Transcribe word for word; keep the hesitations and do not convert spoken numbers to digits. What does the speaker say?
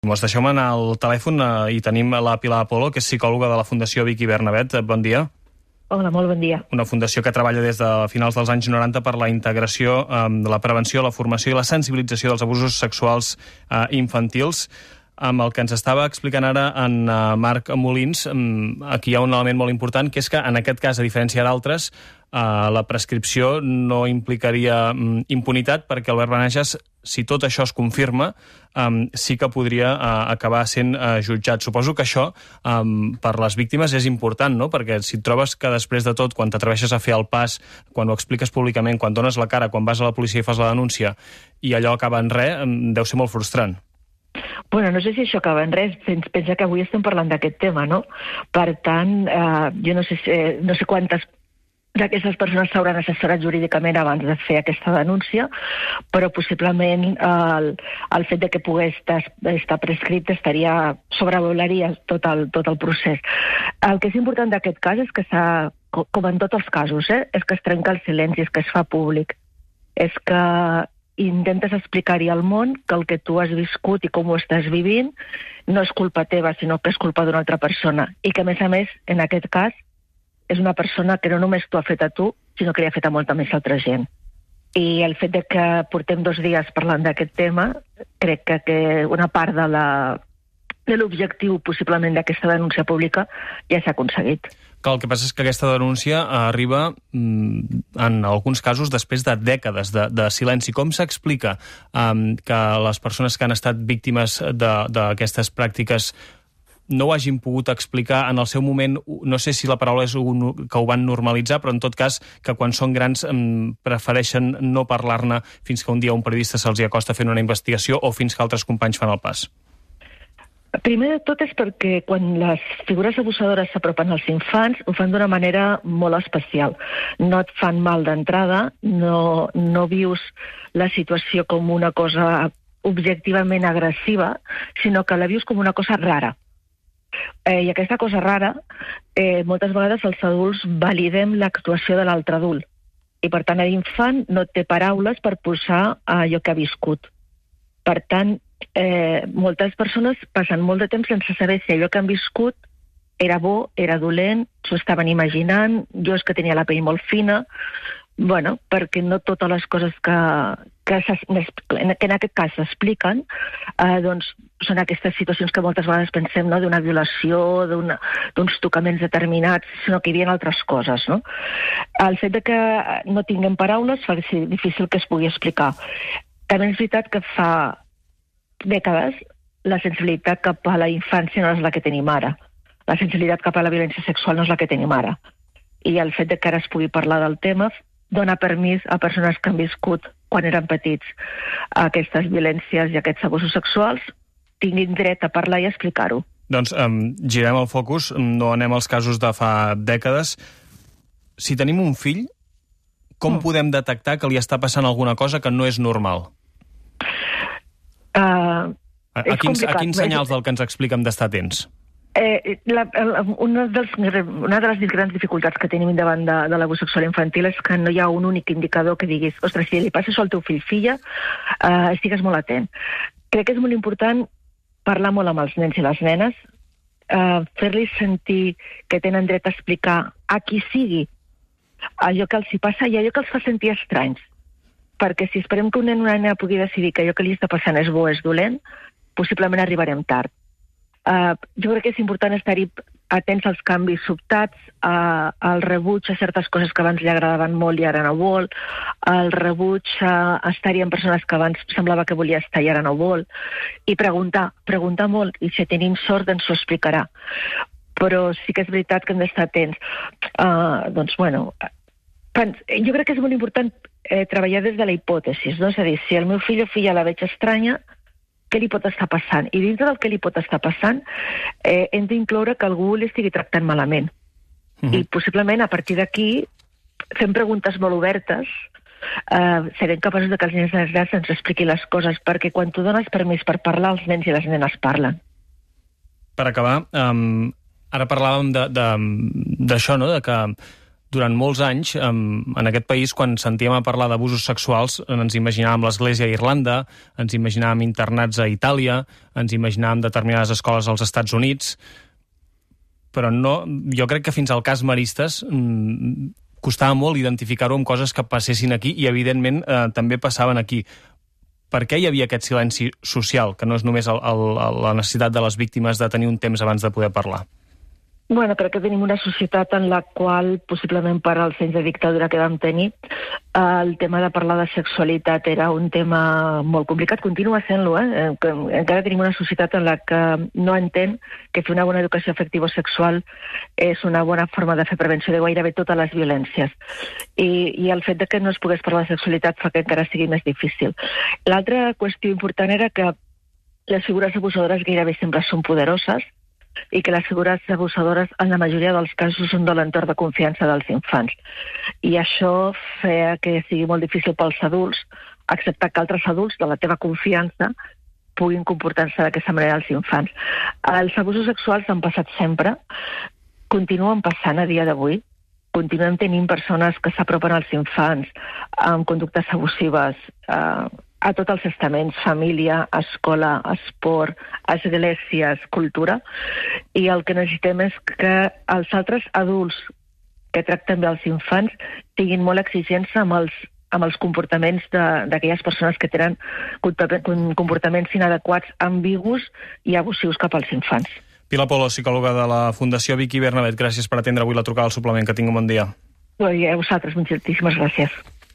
Mos deixeu anar al telèfon eh, i tenim la Pilar Apolo, que és psicòloga de la Fundació Vicky Bernabet. Bon dia. Hola, molt bon dia. Una fundació que treballa des de finals dels anys noranta per la integració, eh, la prevenció, la formació i la sensibilització dels abusos sexuals eh, infantils. Amb el que ens estava explicant ara en uh, Marc Molins, um, aquí hi ha un element molt important, que és que en aquest cas, a diferència d'altres, uh, la prescripció no implicaria um, impunitat, perquè Albert Benages, si tot això es confirma, um, sí que podria uh, acabar sent uh, jutjat. Suposo que això, um, per les víctimes, és important, no? Perquè si et trobes que després de tot, quan t'atreveixes a fer el pas, quan ho expliques públicament, quan dones la cara, quan vas a la policia i fas la denúncia, i allò acaba en res, um, deu ser molt frustrant. Bueno, no sé si això acaba en res, pensa que avui estem parlant d'aquest tema, no? Per tant, eh, jo no sé, si, no sé quantes d'aquestes persones s'hauran assessorat jurídicament abans de fer aquesta denúncia, però possiblement eh, el, el fet de que pogués estar, estar prescrit estaria sobrevolaria tot el, tot el procés. El que és important d'aquest cas és que s'ha, com en tots els casos, eh, és que es trenca el silenci, és que es fa públic, és que intentes explicar-hi al món que el que tu has viscut i com ho estàs vivint no és culpa teva, sinó que és culpa d'una altra persona. I que, a més a més, en aquest cas, és una persona que no només t'ho ha fet a tu, sinó que li ha fet a molta més altra gent. I el fet de que portem dos dies parlant d'aquest tema, crec que, que una part de la de l'objectiu, possiblement, d'aquesta denúncia pública ja s'ha aconseguit. Que el que passa és que aquesta denúncia arriba, en alguns casos, després de dècades de, de silenci. Com s'explica um, que les persones que han estat víctimes d'aquestes pràctiques no ho hagin pogut explicar en el seu moment? No sé si la paraula és un, que ho van normalitzar, però en tot cas que quan són grans um, prefereixen no parlar-ne fins que un dia un periodista se'ls hi acosta fent una investigació o fins que altres companys fan el pas. Primer de tot és perquè quan les figures abusadores s'apropen als infants ho fan d'una manera molt especial. No et fan mal d'entrada, no, no vius la situació com una cosa objectivament agressiva, sinó que la vius com una cosa rara. Eh, I aquesta cosa rara, eh, moltes vegades els adults validem l'actuació de l'altre adult. I per tant l'infant no té paraules per posar allò que ha viscut. Per tant, Eh, moltes persones passen molt de temps sense saber si allò que han viscut era bo, era dolent, s'ho estaven imaginant, jo és que tenia la pell molt fina, bueno, perquè no totes les coses que, que, que en aquest cas s'expliquen, eh, doncs són aquestes situacions que moltes vegades pensem, no?, d'una violació, d'uns tocaments determinats, sinó que hi havia altres coses, no? El fet de que no tinguem paraules fa difícil que es pugui explicar. També és veritat que fa dècades, la sensibilitat cap a la infància no és la que tenim ara. La sensibilitat cap a la violència sexual no és la que tenim ara. I el fet de que ara es pugui parlar del tema dona permís a persones que han viscut, quan eren petits, aquestes violències i aquests abusos sexuals, tinguin dret a parlar i a explicar-ho. Doncs um, girem el focus, no anem als casos de fa dècades. Si tenim un fill, com mm. podem detectar que li està passant alguna cosa que no és normal? Uh, a, a, quins, a quins senyals del que ens explica hem d'estar atents? Eh, la, la, una, dels, una de les grans dificultats que tenim davant de, de l'abús sexual infantil és que no hi ha un únic indicador que diguis, ostres, si li passa això al teu fill, filla, eh, estigues molt atent. Crec que és molt important parlar molt amb els nens i les nenes, eh, fer-los sentir que tenen dret a explicar a qui sigui allò que els hi passa i allò que els fa sentir estranys. Perquè si esperem que un nen o una nena pugui decidir que allò que li està passant és bo o és dolent, possiblement arribarem tard. Uh, jo crec que és important estar-hi atents als canvis sobtats, uh, al rebuig a certes coses que abans li agradaven molt i ara no vol, al rebuig a uh, estar-hi amb persones que abans semblava que volia estar i ara no vol, i preguntar, preguntar molt, i si tenim sort ens ho explicarà. Però sí que és veritat que hem d'estar atents. Uh, doncs, bueno, jo crec que és molt important eh, treballar des de la hipòtesi, no? És a dir, si el meu fill o filla la veig estranya, què li pot estar passant? I dintre del que li pot estar passant, eh, hem d'incloure que algú l'estigui tractant malament. Uh-huh. I possiblement, a partir d'aquí, fem preguntes molt obertes, eh, serem capaços de que els nens i les nenes ens expliquin les coses, perquè quan tu dones permís per parlar, els nens i les nenes parlen. Per acabar, um, ara parlàvem d'això, no?, de que durant molts anys, en aquest país, quan sentíem a parlar d'abusos sexuals, ens imaginàvem l'Església a Irlanda, ens imaginàvem internats a Itàlia, ens imaginàvem determinades escoles als Estats Units, però no, jo crec que fins al cas Maristes costava molt identificar-ho amb coses que passessin aquí i, evidentment, eh, també passaven aquí. Per què hi havia aquest silenci social, que no és només el, el, la necessitat de les víctimes de tenir un temps abans de poder parlar? Bueno, crec que tenim una societat en la qual, possiblement per als anys de dictadura que vam tenir, el tema de parlar de sexualitat era un tema molt complicat, continua sent-lo, eh? Encara tenim una societat en la que no entén que fer una bona educació afectivo-sexual és una bona forma de fer prevenció de gairebé totes les violències. I, i el fet de que no es pogués parlar de sexualitat fa que encara sigui més difícil. L'altra qüestió important era que les figures abusadores gairebé sempre són poderoses, i que les figures abusadores en la majoria dels casos són de l'entorn de confiança dels infants. I això feia que sigui molt difícil pels adults acceptar que altres adults de la teva confiança puguin comportar-se d'aquesta manera als infants. Els abusos sexuals han passat sempre, continuen passant a dia d'avui, continuem tenint persones que s'apropen als infants amb conductes abusives eh, a tots els estaments, família, escola, esport, esglésies, cultura, i el que necessitem és que els altres adults que tracten bé els infants siguin molt exigents amb els, amb els comportaments d'aquelles persones que tenen comportaments inadequats, ambigus i abusius cap als infants. Pilar Polo, psicòloga de la Fundació Vicky Bernabet, gràcies per atendre avui la trucada al suplement. Que tingui un bon dia. I a vosaltres, moltíssimes gràcies.